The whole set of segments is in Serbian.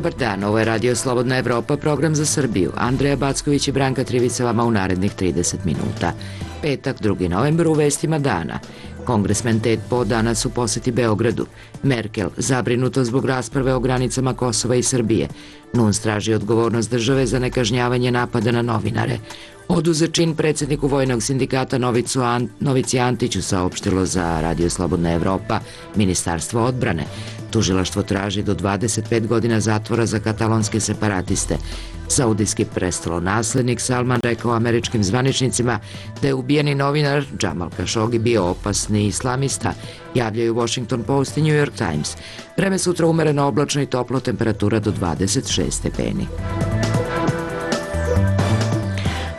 Dobar dan, ovo je Radio Slobodna Evropa, program za Srbiju. Andreja Backović i Branka Trivica vama u narednih 30 minuta. Petak, 2. novembar, u vestima dana. Kongresmen Ted Poe danas u poseti Beogradu. Merkel zabrinuto zbog rasprave o granicama Kosova i Srbije. NUNS traži odgovornost države za nekažnjavanje napada na novinare. Oduzet čin predsjedniku Vojnog sindikata Novici Antiću, saopštilo za Radio Slobodna Evropa Ministarstvo odbrane. Tužilaštvo traži do 25 godina zatvora za katalonske separatiste. Saudijski prestolonaslednik Salman rekao američkim zvaničnicima da je ubijeni novinar Džamal Kašogi bio opasni islamista, javljaju Washington Post i New York Times. Vreme sutra umereno oblačno i toplo, temperatura do 26 stepeni.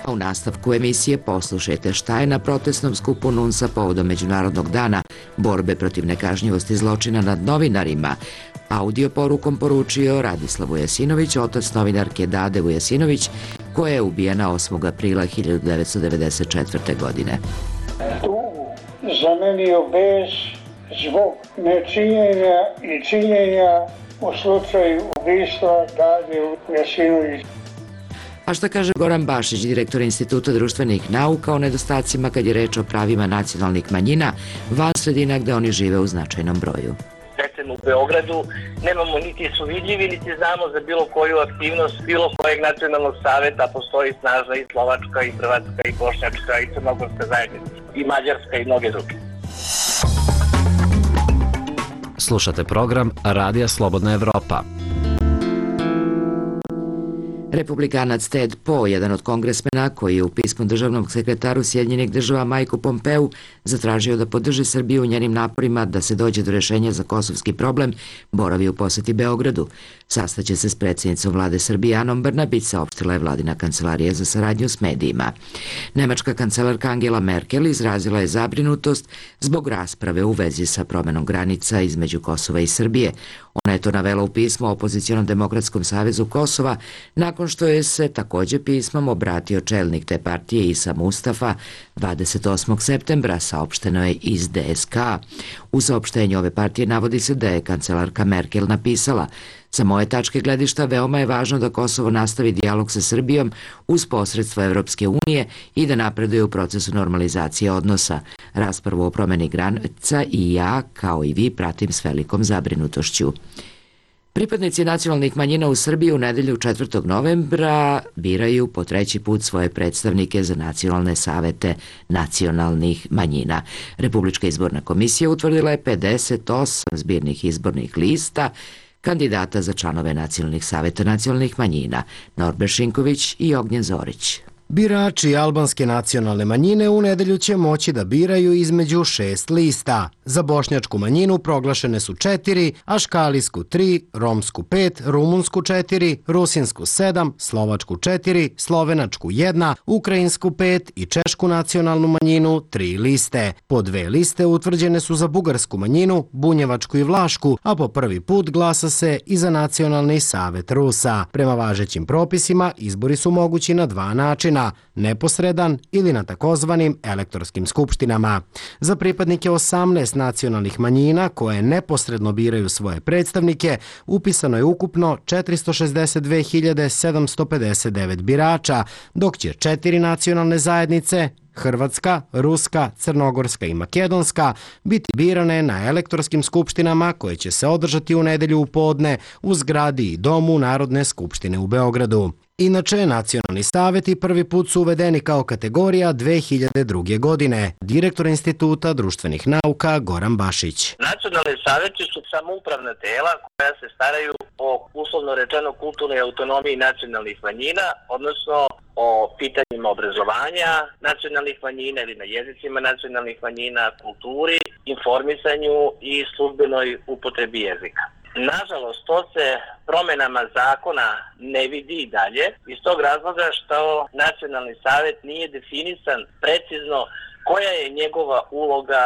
U nastavku emisije poslušajte šta je na protestnom skupu NUNS-a povodom Međunarodnog dana borbe protiv nekažnjivosti zločina nad novinarima. Audio porukom poručio Radislav Vujasinović, otac novinarke Dade Vujasinović, koja je ubijena 8. aprila 1994. godine. Tu zamenio bes zbog nečinjenja i činjenja u slučaju ubistva Dade Vujasinović. A šta kaže Goran Bašić, direktor Instituta društvenih nauka, o nedostacima kad je reč o pravima nacionalnih manjina van sredina gde oni žive u značajnom broju? Recimo u Beogradu nemamo niti su vidljivi, niti znamo za bilo koju aktivnost bilo kojeg nacionalnog saveta. Postoji snažna i slovačka, i hrvatska, i bošnjačka, i crnogorska zajednica, i mađarska, i mnoge druge. Slušate program Radija Slobodna Evropa. Republikanac Ted Poe, jedan od kongresmena koji je u pismu državnog sekretaru Sjedinjenih država Majku Pompeu zatražio da podrži Srbiju u njenim naporima da se dođe do rešenja za kosovski problem, boravi u poseti Beogradu. Sastaće se s predsjednicom vlade Srbije Anom Brnabić, saopštila je vladina kancelarija za saradnju s medijima. Nemačka kancelarka Angela Merkel izrazila je zabrinutost zbog rasprave u vezi sa promenom granica između Kosova i Srbije. Ona je to navela u pismu Opozicionom demokratskom savezu Kosova, nakon što je se također pismom obratio čelnik te partije Isa Mustafa 28. septembra, saopšteno je iz DSK. U saopštenju ove partije navodi se da je kancelarka Merkel napisala: sa moje tačke gledišta veoma je važno da Kosovo nastavi dijalog sa Srbijom uz posredstvo Evropske unije i da napreduje u procesu normalizacije odnosa. Raspravu o promeni granica i ja, kao i vi, pratim s velikom zabrinutošću. Pripadnici nacionalnih manjina u Srbiji u nedelju 4. novembra biraju po 3. put svoje predstavnike za nacionalne savete nacionalnih manjina. Republička izborna komisija utvrdila je 58 zbirnih izbornih lista kandidata za članove nacionalnih saveta nacionalnih manjina. Norber Šinković i Ognjen Zorić. Birači albanske nacionalne manjine u nedelju će moći da biraju između 6 lista. Za bošnjačku manjinu proglašene su 4, aškalijsku 3, romsku 5, rumunsku 4, rusinsku 7, slovačku 4, slovenačku 1, ukrajinsku 5 i češku nacionalnu manjinu 3 liste. Po 2 liste utvrđene su za bugarsku manjinu, bunjevačku i vlašku, a po prvi put glasa se i za nacionalni savet Rusa. Prema važećim propisima izbori su mogući na 2 načina: neposredan ili na takozvanim elektorskim skupštinama. Za pripadnike 18 nacionalnih manjina koje neposredno biraju svoje predstavnike upisano je ukupno 462.759 birača, dok će 4 nacionalne zajednice, Hrvatska, Ruska, Crnogorska i Makedonska, biti birane na elektorskim skupštinama koje će se održati u nedelju u podne u zgradi i domu Narodne skupštine u Beogradu. Inače, nacionalni saveti prvi put su uvedeni kao kategorija 2002. godine. Direktor Instituta društvenih nauka Goran Bašić. Nacionalni saveti su samoupravna tela koja se staraju o, uslovno rečeno, kulturnoj autonomiji nacionalnih manjina, odnosno o pitanjima obrazovanja nacionalnih manjina ili na jezicima nacionalnih manjina, kulturi, informisanju i službenoj upotrebi jezika. Nažalost, to se promjenama zakona ne vidi i dalje, iz tog razloga što nacionalni savjet nije definisan precizno koja je njegova uloga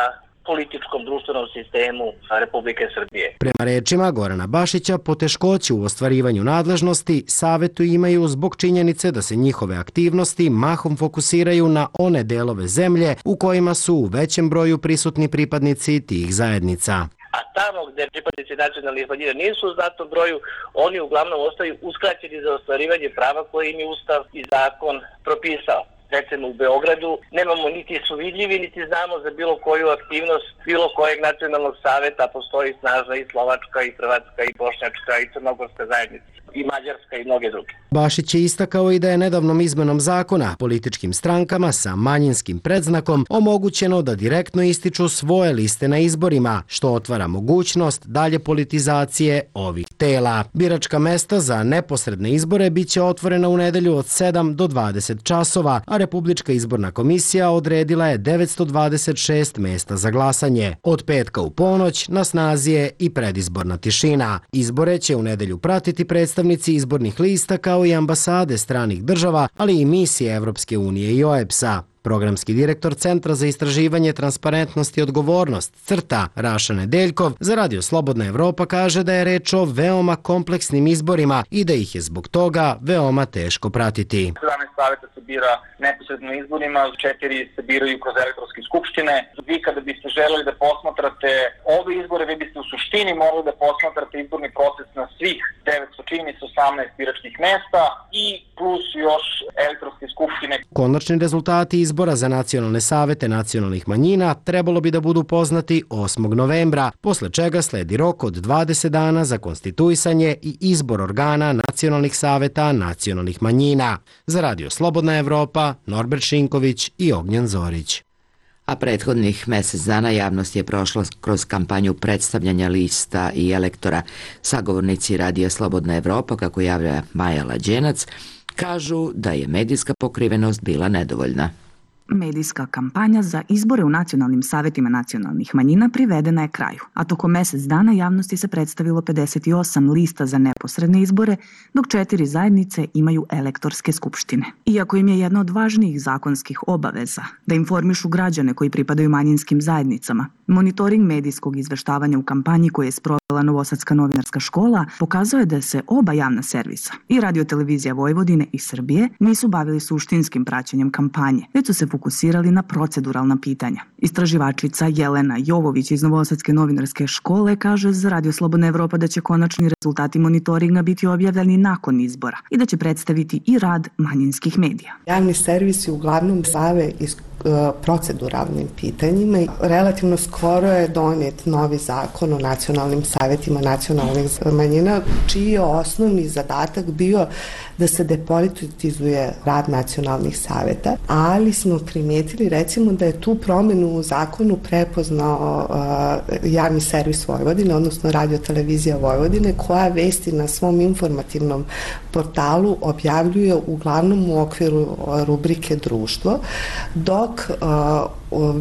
političkom društvenom sistemu Republike Srbije. Prema rečima Gorana Bašića, poteškoće u ostvarivanju nadležnosti savetu imaju zbog činjenice da se njihove aktivnosti mahom fokusiraju na one delove zemlje u kojima su u većem broju prisutni pripadnici tih zajednica. a tamo gde pripadnici nacionalnih manjina nisu u značajnom broju, oni uglavnom ostaju uskraćeni za ostvarivanje prava koje im je Ustav i zakon propisao. Recimo u Beogradu nemamo niti su vidljivi, niti znamo za bilo koju aktivnost bilo kojeg nacionalnog saveta, postoji snažna i slovačka, i hrvatska, i bošnjačka, i crnogorska zajednica, i mađarska i mnoge druge. Bašić je istakao i da je nedavnom izmenom zakona političkim strankama sa manjinskim predznakom omogućeno da direktno ističu svoje liste na izborima, što otvara mogućnost dalje politizacije ovih tela. Biračka mesta za neposredne izbore biće otvorena u nedelju od 7 do 20 časova, a Republička izborna komisija odredila je 926 mesta za glasanje. Od petka u ponoć na snazi je i predizborna tišina. Izbore će u nedelju pratiti predstavnici izbornih lista kao i ambasade stranih država, ali i misije Evropske unije i OEBS-a. Programski direktor Centra za istraživanje, transparentnost i odgovornost, CRTA, Raša Nedeljkov, za Radio Slobodna Evropa kaže da je reč o veoma kompleksnim izborima i da ih je zbog toga veoma teško pratiti. 17 saveta se bira neposredno izborima, 4 se biraju kroz elektronske skupštine. Vi kada biste želeli da posmatrate ove izbore, vi biste u suštini morali da posmatrate izborni proces na svih 900, čini se 18 biračkih mesta i plus još elektronske skupštine. Konačni rezultati izbora za nacionalne savete nacionalnih manjina trebalo bi da budu poznati 8. novembra, posle čega sledi rok od 20 dana za konstituisanje i izbor organa nacionalnih saveta nacionalnih manjina. Za Radio Slobodna Evropa, Norbert Šinković i Ognjen Zorić. A prethodnih mesec dana javnost je prošla kroz kampanju predstavljanja lista i elektora. Sagovornici Radija Slobodna Evropa, kako javlja Maja Lađenac, kažu da je medijska pokrivenost bila nedovoljna. Medijska kampanja za izbore u nacionalnim savetima nacionalnih manjina privedena je kraju, a tokom mesec dana javnosti se predstavilo 58 lista za neposredne izbore, dok 4 zajednice imaju elektorske skupštine. Iako im je jedna od važnijih zakonskih obaveza da informišu građane koji pripadaju manjinskim zajednicama, monitoring medijskog izveštavanja u kampanji koje je sprovela Novosadska novinarska škola pokazao je da se oba javna servisa, i Radio-televizija Vojvodine i Srbije, nisu bavili suštinskim praćenjem kampanje, već su se fokusirali na proceduralna pitanja. Istraživačica Jelena Jovović iz Novosadske novinarske škole kaže za Radio Slobodna Evropa da će konačni rezultati monitoringa biti objavljeni nakon izbora i da će predstaviti i rad manjinskih medija. Javni servisi uglavnom bave proceduralnim pitanjima. Relativno skoro je donijet novi zakon o nacionalnim savetima nacionalnih manjina, čiji je osnovni zadatak bio da se depolitizuje rad nacionalnih saveta, ali smo primijetili recimo da je tu promenu u zakonu prepoznao javni servis Vojvodine, odnosno Radio-televizija Vojvodine, koja vesti na svom informativnom portalu objavljuje uglavnom u okviru rubrike Društvo, dok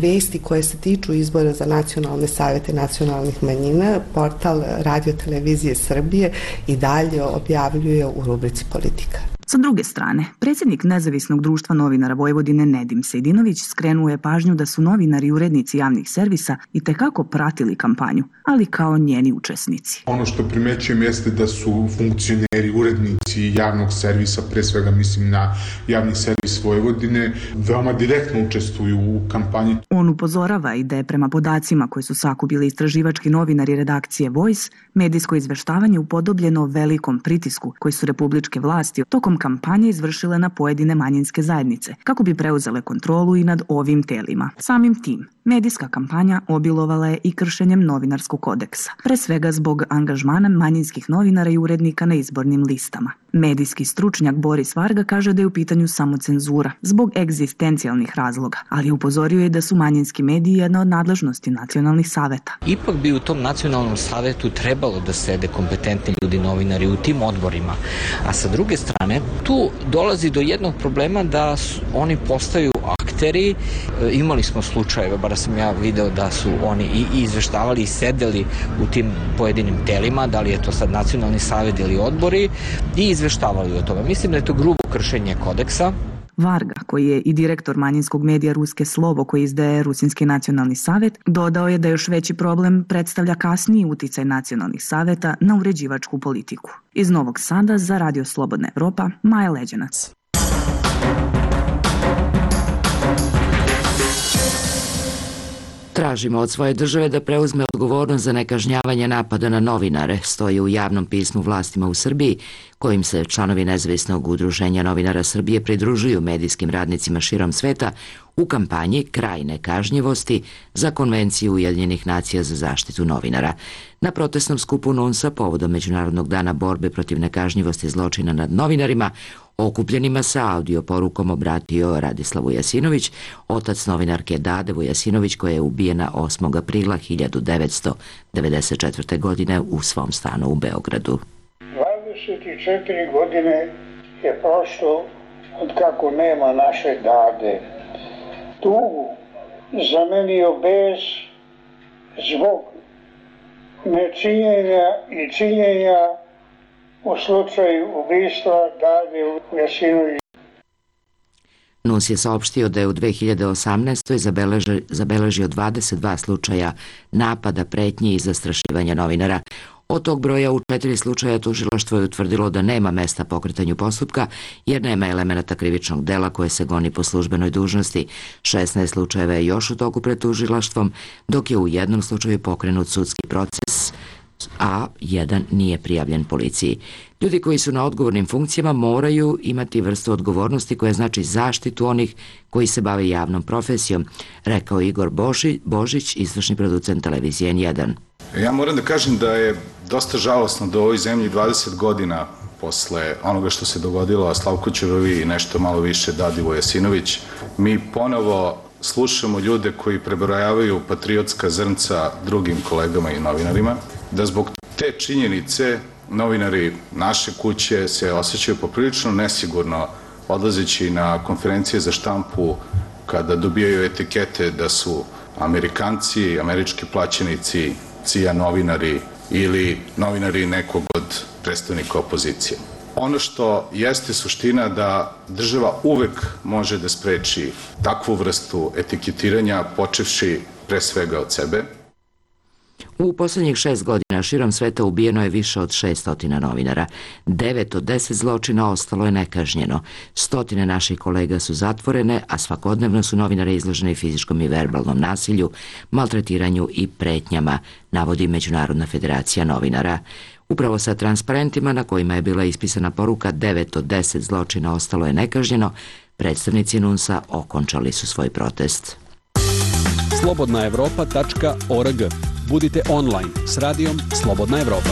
vesti koje se tiču izbora za nacionalne savete nacionalnih manjina, portal Radio-televizije Srbije i dalje objavljuje u rubrici Politika. Sa druge strane, predsjednik Nezavisnog društva novinara Vojvodine Nedim Sejdinović skrenuo je pažnju da su novinari i urednici javnih servisa itekako pratili kampanju, ali kao njeni učesnici. Ono što primećujem jeste da su funkcioneri, urednici javnog servisa, pre svega mislim na javni servis Vojvodine, veoma direktno učestvuju u kampanji. On upozorava i da je prema podacima koje su sakupili istraživački novinari redakcije Voice, medijsko izveštavanje upodobljeno velikom pritisku koji su republičke vlasti tokom kampanje izvršile na pojedine manjinske zajednice, kako bi preuzele kontrolu i nad ovim telima. Samim tim, medijska kampanja obilovala je i kršenjem novinarskog kodeksa, pre svega zbog angažmana manjinskih novinara i urednika na izbornim listama. Medijski stručnjak Boris Varga kaže da je u pitanju samo cenzura zbog egzistencijalnih razloga, ali upozorio je da su manjinski mediji jedna od nadležnosti nacionalnih saveta. Ipak bi u tom nacionalnom savetu trebalo da sede kompetentni ljudi, novinari u tim odborima, a sa druge strane tu dolazi do jednog problema da oni postaju akteri. Imali smo slučajeve, bar sam ja video da su oni i izveštavali i sedeli u tim pojedinim telima, da li je to sad nacionalni savet ili odbori, i izveštavali o tome. Mislim da je to grubo kršenje kodeksa. Varga, koji je i direktor manjinskog medija Ruske Slovo koji izdaje Rusinski nacionalni savet, dodao je da još veći problem predstavlja kasniji uticaj nacionalnih saveta na uređivačku politiku. Iz Novog Sada za Radio Slobodna Evropa, Maja Leđenac. Tražimo od svoje države da preuzme odgovornost za nekažnjavanje napada na novinare, stoji u javnom pismu vlastima u Srbiji, kojim se članovi Nezavisnog udruženja novinara Srbije pridružuju medijskim radnicima širom sveta u kampanji Kraj nekažnjivosti za Konvenciju Ujedinjenih nacija za zaštitu novinara. Na protestnom skupu NUNS-a povodom Međunarodnog dana borbe protiv nekažnjivosti zločina nad novinarima, okupljenima sa audio porukom obratio Radislav Vujasinović, otac novinarke Dade Vujasinović, koja je ubijena 8. aprila 1994. godine u svom stanu u Beogradu. 24 godine je prošlo od kako nema naše Dade. Tugu zamenio bes zbog nečinjenja i činjenja u slučaju ubistva Dade Vujasinović. NUNS je saopštio da je u 2018. zabeležio 22 slučaja napada, pretnji i zastrašivanja novinara. Od tog broja u 4 slučaja tužilaštvo je utvrdilo da nema mesta pokretanju postupka jer nema elemenata krivičnog dela koje se goni po službenoj dužnosti. 16 slučajeva je još u toku pred tužilaštvom, dok je u jednom slučaju pokrenut sudski proces, a jedan nije prijavljen policiji. Ljudi koji su na odgovornim funkcijama moraju imati vrstu odgovornosti koja znači zaštitu onih koji se bave javnom profesijom, rekao Igor Božić, izvršni producent televizije N1. Ja moram da kažem da je dosta žalosno da u ovoj zemlji 20 godina posle onoga što se dogodilo Slavku Ćuruviji i nešto malo više Dadi Vujasinović, mi ponovo slušamo ljude koji prebrojavaju patriotska zrnca drugim kolegama i novinarima, da zbog te činjenice novinari naše kuće se osjećaju poprilično nesigurno odlazeći na konferencije za štampu kada dobijaju etikete da su Amerikanci, američki plaćenici, CIA novinari ili novinari nekog od predstavnika opozicije. Ono što jeste suština da država uvek može da spreči takvu vrstu etiketiranja, počevši pre svega od sebe. U poslednjih 6 godina širom sveta ubijeno je više od 600 novinara. 9 od 10 zločina ostalo je nekažnjeno. Stotine naših kolega su zatvorene, a svakodnevno su novinari izloženi fizičkom i verbalnom nasilju, maltretiranju i pretnjama, navodi Međunarodna federacija novinara. Upravo sa transparentima na kojima je bila ispisana poruka 9 od 10 zločina ostalo je nekažnjeno, predstavnici NUNS-a okončali su svoj protest. slobodnaevropa.org. Budite online s radijom Slobodna Evropa.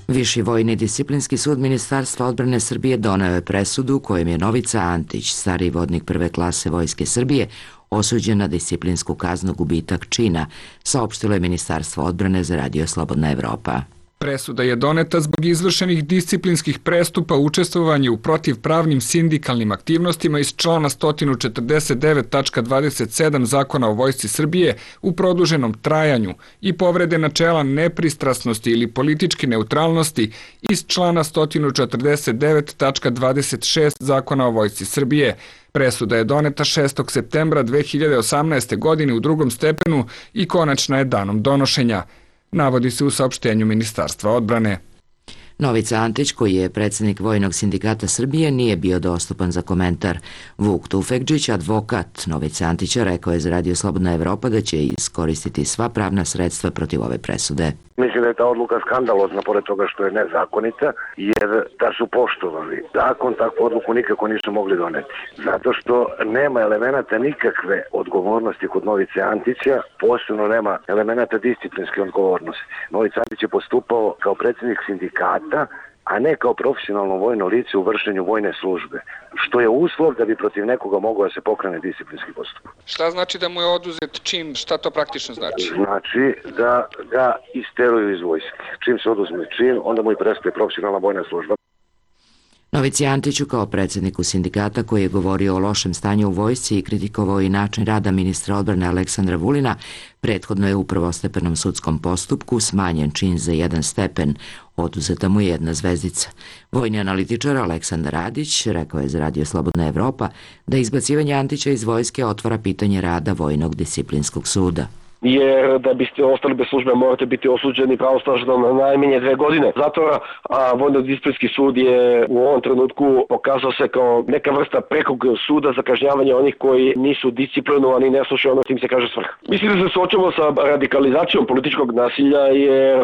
Viši vojni disciplinski sud Ministarstva odbrane Srbije doneo je presudu kojom je Novica Antić, stariji vodnik prve klase Vojske Srbije, osuđen na disciplinsku kaznu gubitak čina, saopštilo je Ministarstvo odbrane za radio Slobodna Evropa. Presuda je doneta zbog izvršenih disciplinskih prestupa učestvovanja u protivpravnim sindikalnim aktivnostima iz člana 149.27 Zakona o Vojsci Srbije u produženom trajanju i povrede načela nepristrasnosti ili političke neutralnosti iz člana 149.26 Zakona o Vojsci Srbije. Presuda je doneta 6. septembra 2018. godine u drugom stepenu i konačna je danom donošenja, navodi se u saopštenju Ministarstva odbrane. Novica Antić, koji je predsjednik Vojnog sindikata Srbije, nije bio dostupan za komentar. Vuk Tufekđić, advokat Novice Antića, rekao je za radio Slobodna Evropa da će iskoristiti sva pravna sredstva protiv ove presude. Mislim da je ta odluka skandalozna, pored toga što je nezakonita, jer da su poštovali zakon, takvu odluku nikako nisu mogli doneti. Zato što nema elemenata nikakve odgovornosti kod Novice Antića, posebno nema elemenata disciplinske odgovornosti. Novica Antić je postupao kao predsjednik sindikata, a ne kao profesionalno vojno lice u vršenju vojne službe, što je uslov da bi protiv nekoga mogao da se pokrene disciplinski postupak. Šta znači da mu je oduzet čin? Šta to praktično znači? Znači da ga isteruju iz vojske. Čim se oduzme čin, onda mu i prestaje profesionalna vojna služba. Novici Antiću, kao predsjedniku sindikata koji je govorio o lošem stanju u vojsci i kritikovao i način rada ministra odbrane Aleksandra Vulina, prethodno je u prvostepenom sudskom postupku smanjen čin za 1 stepen, oduzeta mu je 1 zvezdica. Vojni analitičar Aleksandar Radić rekao je za radio Slobodna Evropa da izbacivanje Antića iz vojske otvara pitanje rada Vojnog disciplinskog suda. jer da biste ostali bez službe morate biti osuđeni pravosnažno na najmanje 2 godine zatvora, a vojno-disciplinski sud je u ovom trenutku pokazao se kao neka vrsta prekog suda za kažnjavanje onih koji nisu disciplinovani, ne slušaju ono što im se kaže svrha. Mislim da se suočamo sa radikalizacijom političkog nasilja, jer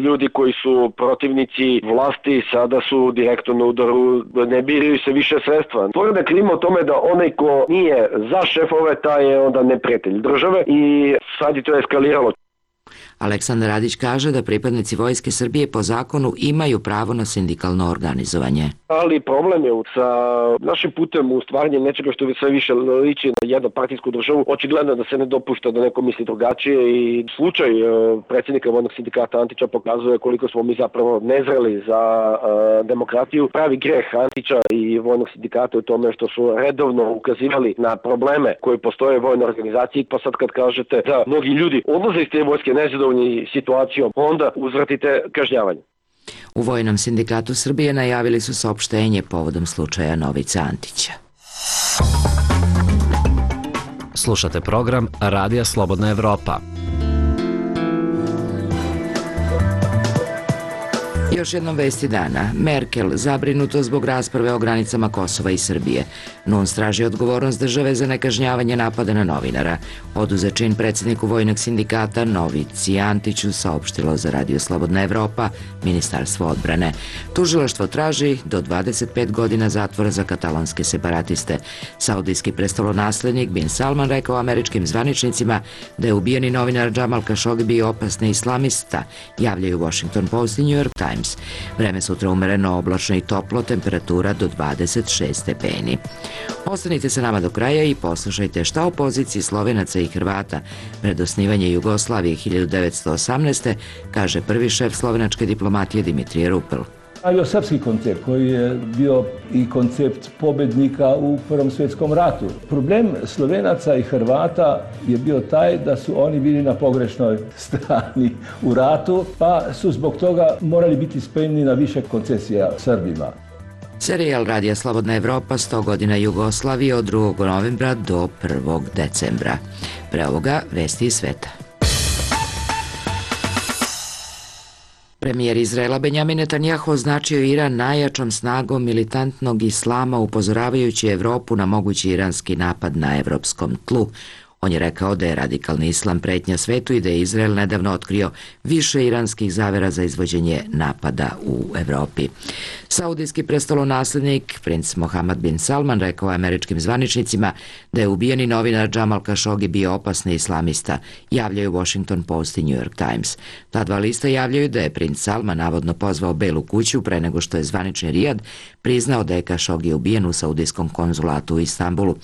ljudi koji su protivnici vlasti sada su direktno na udaru, ne biraju se više sredstva. Stvorena je klima o tome da onaj ko nije za šefove, taj je onda neprijatelj države i sad je to eskaliralo. Aleksandar Radić kaže da pripadnici Vojske Srbije po zakonu imaju pravo na sindikalno organizovanje. Ali problem je sa našim putem u stvaranje nečega što sve više liči na jednopartijsku državu. Očigledno da se ne dopušta da neko misli drugačije i slučaj predsjednika Vojnog sindikata Antića pokazuje koliko smo mi zapravo nezreli za demokratiju. Pravi greh Antića i Vojnog sindikata u tome što su redovno ukazivali na probleme koji postoje u vojnoj organizaciji, pa sad kad kažete da mnogi ljudi odlaze iz te vojske nezadovoljni situacijom, onda uzvratite kažnjavanje. U Vojnom sindikatu Srbije najavili su saopštenje povodom slučaja Novice Antića. Slušate program Radija Slobodna Evropa. Još jednom vesti dana. Merkel zabrinuto zbog rasprave o granicama Kosova i Srbije. NUNS traži odgovornost države za nekažnjavanje napada na novinara. Oduzet čin predsjedniku Vojnog sindikata Novici Antiću saopštilo za Radio Slobodna Evropa Ministarstvo odbrane. Tužilaštvo traži do 25 godina zatvora za katalonske separatiste. Saudijski prestolonaslednik Bin Salman rekao američkim zvaničnicima da je ubijeni novinar Džamal Kašogi bio opasni islamista, javljaju Washington Post i New York Times. Vreme sutra umereno, oblačno i toplo, temperatura do 26 stepeni. Ostanite sa nama do kraja i poslušajte šta o poziciji Slovenaca i Hrvata pred osnivanje Jugoslavije 1918. kaže prvi šef slovenačke diplomatije Dimitrije Rupel. Bio srpski koncept koji je bio i koncept pobednika u Prvom svjetskom ratu. Problem Slovenaca i Hrvata je bio taj da su oni bili na pogrešnoj strani u ratu, pa su zbog toga morali biti spremni na više koncesija Srbima. Serijal Radija Slobodna Evropa 100 godina Jugoslavije od 2. novembra do 1. decembra. Pre ovoga vesti iz sveta. Premijer Izraela Benjamin Netanjahu označio Iran najjačom snagom militantnog islama, upozoravajući Evropu na mogući iranski napad na evropskom tlu. On je rekao da je radikalni islam pretnja svetu i da je Izrael nedavno otkrio više iranskih zavera za izvođenje napada u Evropi. Saudijski prestolonaslednik princ Mohammed bin Salman rekao američkim zvaničnicima da je ubijeni novinar Džamal Kašogi bio opasni islamista, javljaju Washington Post i New York Times. Ta dva lista javljaju da je princ Salman navodno pozvao Belu kuću pre nego što je zvanični Rijad priznao da je Kašogi ubijen u saudijskom konzulatu u Istanbulu.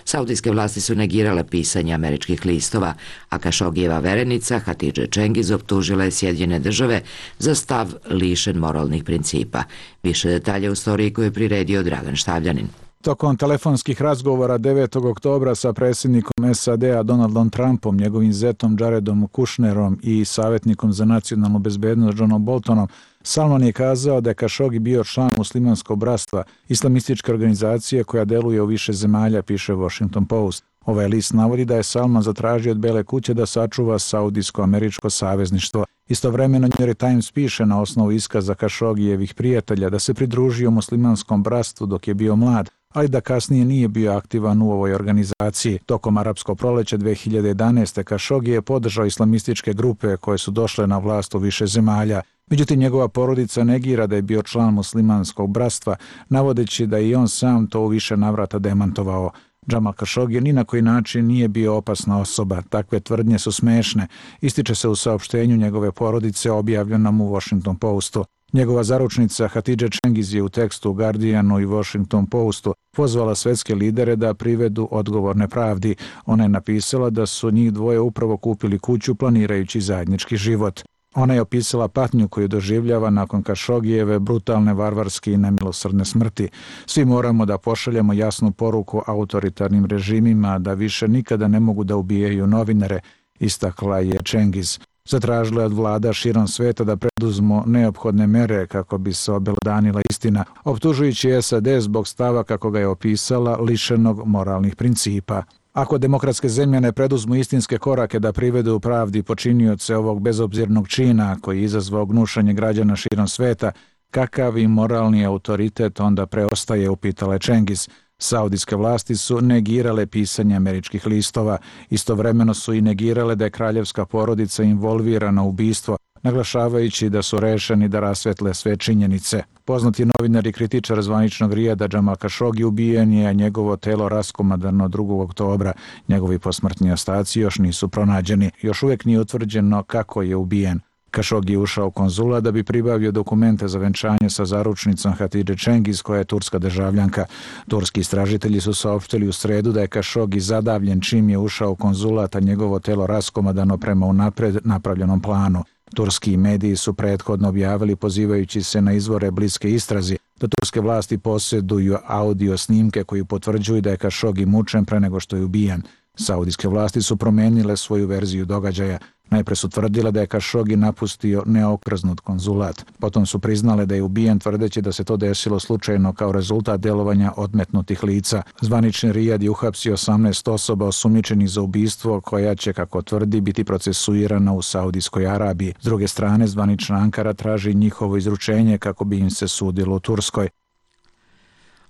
Saudijske vlasti su negirale pisanje američkih listova, a Kašogijeva verenica Hatidže Čengiz optužila je Sjedinjene države za stav lišen moralnih principa. Više detalja u storiji koju je priredio Dragan Štavljanin. Tokom telefonskih razgovora 9. oktobra sa predsjednikom SAD-a Donaldom Trumpom, njegovim zetom Jaredom Kushnerom i savjetnikom za nacionalnu bezbednost Johnom Boltonom, Salman je kazao da je Kašogi bio član muslimanskog bratstva, islamističke organizacije koja deluje u više zemalja, piše Washington Post. Ovaj list navodi da je Salman zatražio od Bele kuće da sačuva saudijsko-američko savezništvo. Istovremeno New York Times piše na osnovu iskaza Kašogijevih prijatelja da se pridružio muslimanskom bratstvu dok je bio mlad, ali da kasnije nije bio aktivan u ovoj organizaciji. Tokom arapskog proleća 2011. Kašogi je podržao islamističke grupe koje su došle na vlast u više zemalja. Međutim, njegova porodica negira da je bio član muslimanskog bratstva, navodeći da i on sam to u više navrata demantovao. Džamal Kašogi ni na koji način nije bio opasna osoba. Takve tvrdnje su smešne, ističe se u saopštenju njegove porodice objavljenom u Washington Postu. Njegova zaručnica Hatidže Čengiz je u tekstu u Guardianu i Washington Postu pozvala svetske lidere da privedu odgovorne pravdi. Ona je napisala da su njih dvoje upravo kupili kuću planirajući zajednički život. Ona je opisala patnju koju doživljava nakon Kašogijeve brutalne, varvarske i nemilosrdne smrti. Svi moramo da pošaljemo jasnu poruku autoritarnim režimima da više nikada ne mogu da ubijaju novinare, istakla je Čengiz. Zatražila je od vlada širom sveta da preduzmu neophodne mere kako bi se obelodanila istina, optužujući SAD zbog stava kako ga je opisala lišenog moralnih principa. Ako demokratske zemlje ne preduzmu istinske korake da privedu pravdi počinioce ovog bezobzirnog čina koji je izazvao gnušanje građana širom sveta, kakav i moralni autoritet onda preostaje, upitala je Čengiz. Saudijske vlasti su negirale pisanje američkih listova, istovremeno su i negirale da je kraljevska porodica involvirana u ubistvo, naglašavajući da su rešeni da rasvetle sve činjenice. Poznati novinar i kritičar zvaničnog Rijada Džamal Kašogi ubijen je, a njegovo telo raskomadano 2. oktobra. Njegovi posmrtni ostaci još nisu pronađeni. Još uvijek nije utvrđeno kako je ubijen. Kašogi je ušao u konzulat da bi pribavio dokumente za venčanje sa zaručnicom Hatidže Čengiz, koja je turska državljanka. Turski istražitelji su saopštili u sredu da je Kašogi zadavljen čim je ušao u konzulat, a njegovo telo raskomadano prema unapred napravljenom planu. Turski mediji su prethodno objavili, pozivajući se na izvore bliske istrazi, da turske vlasti posjeduju audio snimke koji potvrđuju da je Kašogi mučen pre nego što je ubijen. Saudijske vlasti su promenile svoju verziju događaja. Najpre su tvrdile da je Kašogi napustio neokrznut konzulat. Potom su priznale da je ubijen, tvrdeći da se to desilo slučajno kao rezultat delovanja odmetnutih lica. Zvanični Rijad je uhapsio 18 osoba osumnjičenih za ubistvo, koja će, kako tvrdi, biti procesuirana u Saudijskoj Arabiji. S druge strane, zvanična Ankara traži njihovo izručenje kako bi im se sudilo u Turskoj.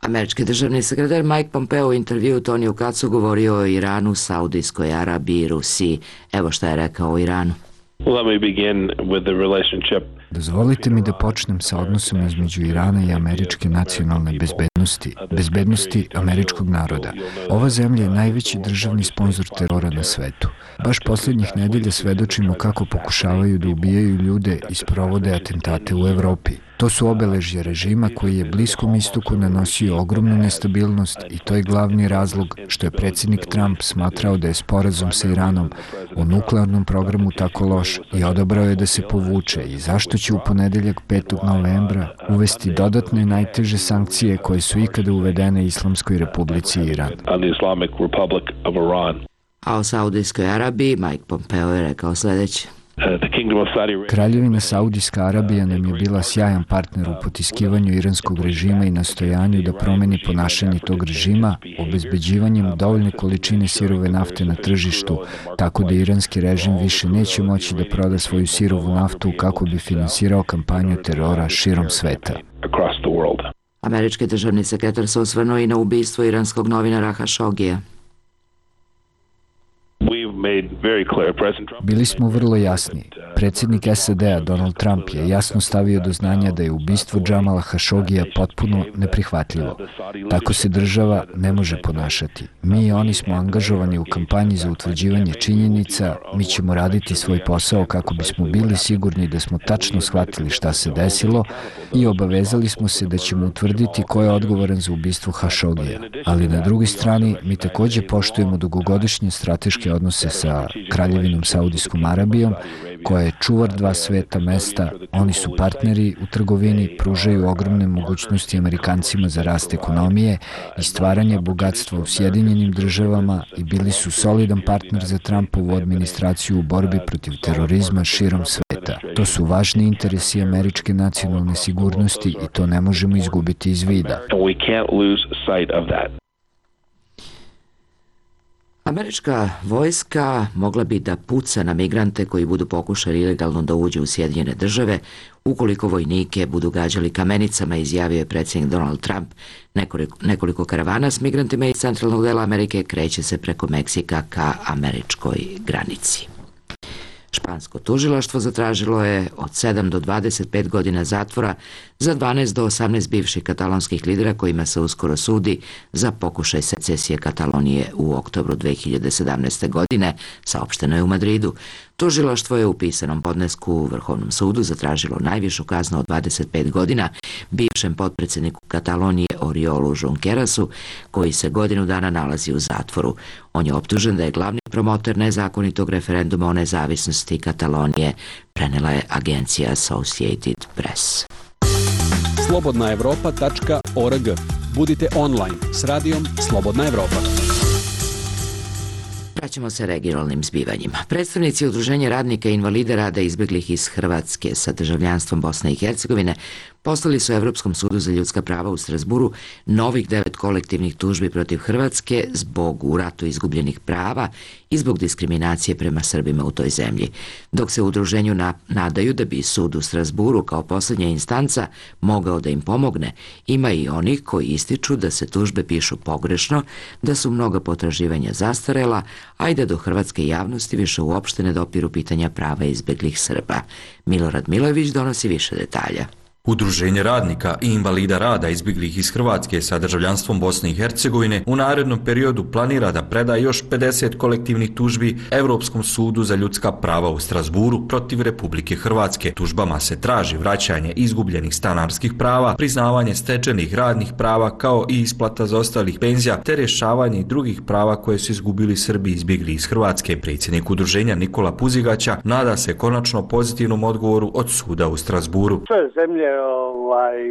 Američki državni sekretar Mike Pompeo u intervju Toniju Kacu govorio o Iranu, Saudijskoj Arabiji i Rusiji. Evo šta je rekao o Iranu. Dozvolite mi da počnem sa odnosom između Irana i američke nacionalne bezbednosti, bezbednosti američkog naroda. Ova zemlja je najveći državni sponzor terora na svetu. Baš posljednjih nedelja svedočimo kako pokušavaju da ubijaju ljude i sprovode atentate u Evropi. To su obeležje režima koji je Bliskom istoku nanosio ogromnu nestabilnost i to je glavni razlog što je predsjednik Trump smatrao da je sporazum sa Iranom o nuklearnom programu tako loš i odabrao je da se povuče i zašto će u ponedeljak 5. novembra uvesti dodatne najteže sankcije koje su ikada uvedene Islamskoj Republici Iran. A o Saudijskoj Arabiji Mike Pompeo je rekao sljedeće. Kraljevina Saudijska Arabija nam je bila sjajan partner u potiskivanju iranskog režima i nastojanju da promeni ponašanje tog režima obezbeđivanjem dovoljne količine sirove nafte na tržištu, tako da iranski režim više neće moći da proda svoju sirovu naftu kako bi finansirao kampanju terora širom sveta. Američki državni sekretar se osvrnuo i na ubistvo iranskog novinara Hašogija. Bili smo vrlo jasni. Predsjednik SAD-a Donald Trump je jasno stavio do znanja da je ubistvo Džamala Hašogija potpuno neprihvatljivo. Tako se država ne može ponašati. Mi i oni smo angažovani u kampanji za utvrđivanje činjenica, mi ćemo raditi svoj posao kako bismo bili sigurni da smo tačno shvatili šta se desilo i obavezali smo se da ćemo utvrditi ko je odgovoran za ubistvo Hašogija. Ali na drugoj strani mi također poštujemo dugogodišnje strateške odnose sa Kraljevinom Saudijskom Arabijom, koja je čuvar dva sveta mesta. Oni su partneri u trgovini, pružaju ogromne mogućnosti Amerikancima za rast ekonomije i stvaranje bogatstva u Sjedinjenim državama i bili su solidan partner za Trumpovu administraciju u borbi protiv terorizma širom sveta. To su važni interesi američke nacionalne sigurnosti i to ne možemo izgubiti iz vida. Američka vojska mogla bi da puca na migrante koji budu pokušali ilegalno da uđu u Sjedinjene države ukoliko vojnike budu gađali kamenicama, izjavio je predsjednik Donald Trump. Nekoliko karavana s migrantima iz centralnog dela Amerike kreće se preko Meksika ka američkoj granici. Špansko tužilaštvo zatražilo je od 7 do 25 godina zatvora za 12 do 18 bivših katalonskih lidera kojima se uskoro sudi za pokušaj secesije Katalonije u oktobru 2017. godine, saopšteno je u Madridu. Tužilaštvo je u pisanom podnesku u Vrhovnom sudu zatražilo najvišu kaznu od 25 godina bivšem potpredsjedniku Katalonije Oriolu Junquerasu, koji se godinu dana nalazi u zatvoru. On je optužen da je glavni promotor nezakonitog referenduma o nezavisnosti Katalonije, prenela je agencija Associated Press. slobodnaevropa.org. Budite online s radijom Slobodna Evropa. Vraćamo se regionalnim zbivanjima. Predstavnici Udruženja radnika i invalida rada izbjeglih iz Hrvatske sa državljanstvom Bosne i Hercegovine poslali su Evropskom sudu za ljudska prava u Strasburu novih 9 kolektivnih tužbi protiv Hrvatske zbog u ratu izgubljenih prava i zbog diskriminacije prema Srbima u toj zemlji. Dok se u udruženju nadaju da bi sud u Strasburu kao posljednja instanca mogao da im pomogne, ima i onih koji ističu da se tužbe pišu pogrešno, da su mnoga potraživanja zastarela, a i da do hrvatske javnosti više uopšte ne dopiru pitanja prava izbeglih Srba. Milorad Milojević donosi više detalja. Udruženje radnika i invalida rada izbjeglih iz Hrvatske sa državljanstvom Bosne i Hercegovine u narednom periodu planira da preda još 50 kolektivnih tužbi Evropskom sudu za ljudska prava u Strasburu protiv Republike Hrvatske. Tužbama se traži vraćanje izgubljenih stanarskih prava, priznavanje stečenih radnih prava kao i isplata zaostalih penzija te rješavanje drugih prava koje su izgubili Srbi izbjegli iz Hrvatske. Predsjednik udruženja Nikola Puzigaća nada se konačno pozitivnom odgovoru od suda u Strasburu. Sve zemlje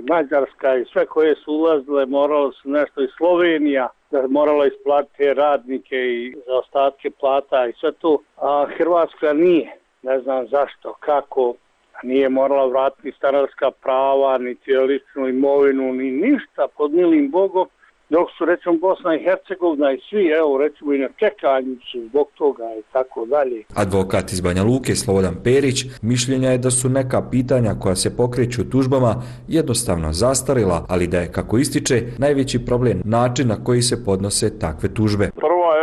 Mađarska i sve koje su ulazile, moralo su nešto i Slovenija, da morala isplatiti radnike i zaostatke plata i sve to, a Hrvatska nije. Ne znam zašto, kako, nije morala vratiti stanarska prava, niti ličnu imovinu, ni ništa pod milim Bogom, dok su recimo Bosna i Hercegovina i svi, evo recimo i na čekanju su zbog toga i tako dalje. Advokat iz Banja Luke Slobodan Perić mišljenja je da su neka pitanja koja se pokreću tužbama jednostavno zastarila, ali da je, kako ističe, najveći problem način na koji se podnose takve tužbe.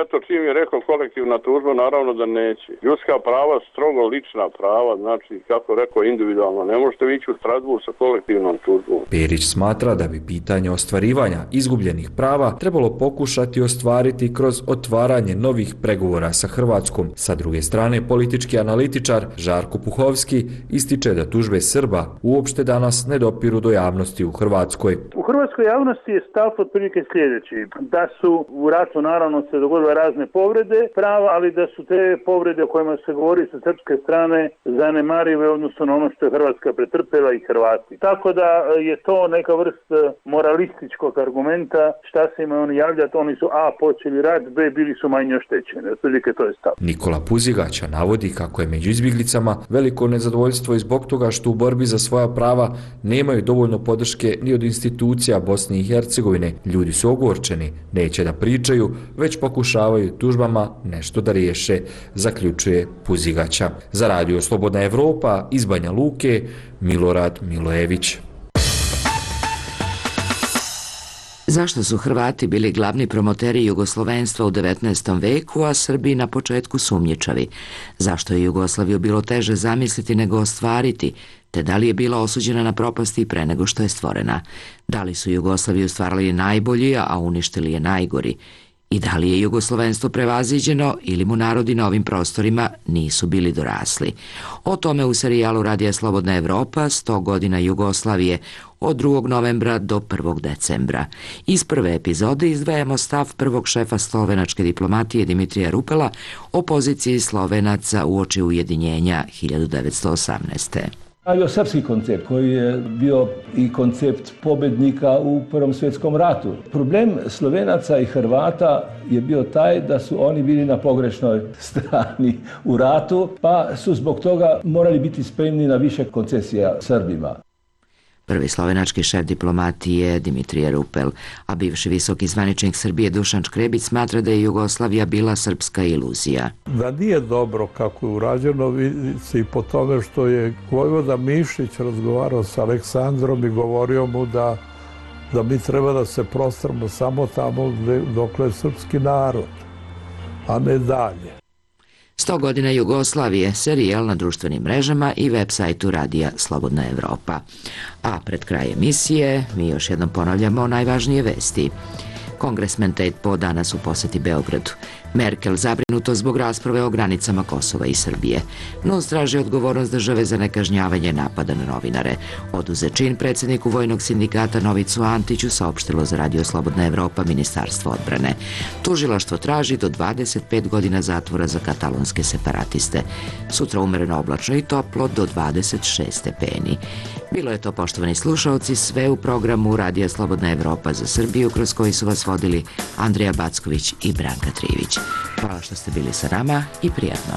Eto, čim je rekao kolektivna tužba, naravno da neće. Ljudska prava, strogo lična prava, znači, kako rekao, individualno. Ne možete ići u Strasbourg sa kolektivnom tužbom. Perić smatra da bi pitanje ostvarivanja izgubljenih prava trebalo pokušati ostvariti kroz otvaranje novih pregovora sa Hrvatskom. Sa druge strane, politički analitičar Žarko Puhovski ističe da tužbe Srba uopšte danas ne dopiru do javnosti u Hrvatskoj. U hrvatskoj javnosti je stav otprilike sljedeći, da su u ratu naravno se dogodile razne povrede prava, ali da su te povrede o kojima se govori sa srpske strane zanemarive odnosno na ono što je Hrvatska pretrpela i Hrvati. Tako da je to neka vrst moralističkog argumenta, šta se ima oni javljati, oni su A počeli rat, B bili su manje oštećeni. Otprilike to je stav. Nikola Puzigaća navodi kako je među izbjeglicama veliko nezadovoljstvo i zbog toga što u borbi za svoja prava nemaju dovoljno podrške ni od institucija Bosne i Hercegovine. Ljudi su ogorčeni, neće da pričaju, već pokušavaju tužbama nešto da riješe, zaključuje Puzigaća. Za radio Slobodna Evropa iz Banja Luke, Milorad Milojević. Zašto su Hrvati bili glavni promoteri jugoslovenstva u 19. veku, a Srbi na početku sumnjičavi? Zašto je Jugoslaviju bilo teže zamisliti nego ostvariti, te da li je bila osuđena na propasti pre nego što je stvorena? Da li su Jugoslaviju stvarali najbolji, a uništili je najgori? I da li je jugoslovenstvo prevaziđeno ili mu narodi na ovim prostorima nisu bili dorasli? O tome u serijalu Radija Slobodna Evropa 100 godina Jugoslavije od 2. novembra do 1. decembra. Iz prve epizode izdvajamo stav prvog šefa slovenačke diplomatije Dimitrija Rupela o poziciji Slovenaca uoči ujedinjenja 1918. Bio srpski koncept koji je bio i koncept pobednika u Prvom svjetskom ratu. Problem Slovenaca i Hrvata je bio taj da su oni bili na pogrešnoj strani u ratu, pa su zbog toga morali biti spremni na više koncesija Srbima. Prvi slovenački šef diplomatije Dimitrije Rupel, a bivši visoki zvaničnik Srbije Dušan Škrebić smatra da je Jugoslavija bila srpska iluzija. Da nije dobro kako je urađeno, vidi se i po tome što je vojvoda Mišić razgovarao sa Aleksandrom i govorio mu da mi treba da se prostramo samo tamo dokle je srpski narod, a ne dalje. 100 godina Jugoslavije, serijal na društvenim mrežama i web sajtu Radija Slobodna Evropa. A pred kraj emisije mi još jednom ponavljamo najvažnije vesti. Kongresmen Ted Poe danas u poseti Beogradu. Merkel zabrinuto zbog rasprave o granicama Kosova i Srbije. NUNS traži odgovornost države za nekažnjavanje napada na novinare. Oduzet čin predsjedniku Vojnog sindikata Novicu Antiću saopštilo za Radio Slobodna Evropa Ministarstvo odbrane. Tužilaštvo traži do 25 godina zatvora za katalonske separatiste. Sutra umereno oblačno i toplo do 26 stepeni. Bilo je to, poštovani slušaoci, sve u programu Radija Slobodna Evropa za Srbiju, kroz koji su vas vodili Andrija Backović i Branka Trivić. Hvala što ste bili sa nama i prijatno.